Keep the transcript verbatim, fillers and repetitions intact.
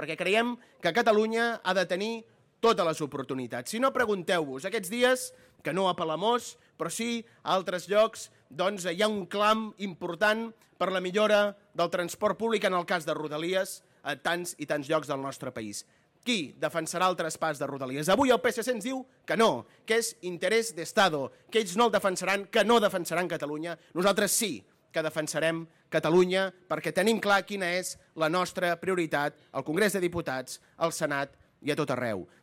perquè creiem que Catalunya ha de tenir totes les oportunitats. Si no, pregunteu-vos, aquests dies, que no a Palamós, però sí a altres llocs, doncs hi ha un clam important per la millora del transport públic en el cas de Rodalies a tants i tants llocs del nostre país. Qui defensarà el traspàs de Rodalies? Avui el P S C ens diu que no, que és interès d'Estado, que ells no el defensaran, que no defensaran Catalunya. Nosaltres sí que defensarem Catalunya perquè tenim clar quina és la nostra prioritat al Congrés de Diputats, al Senat i a tot arreu.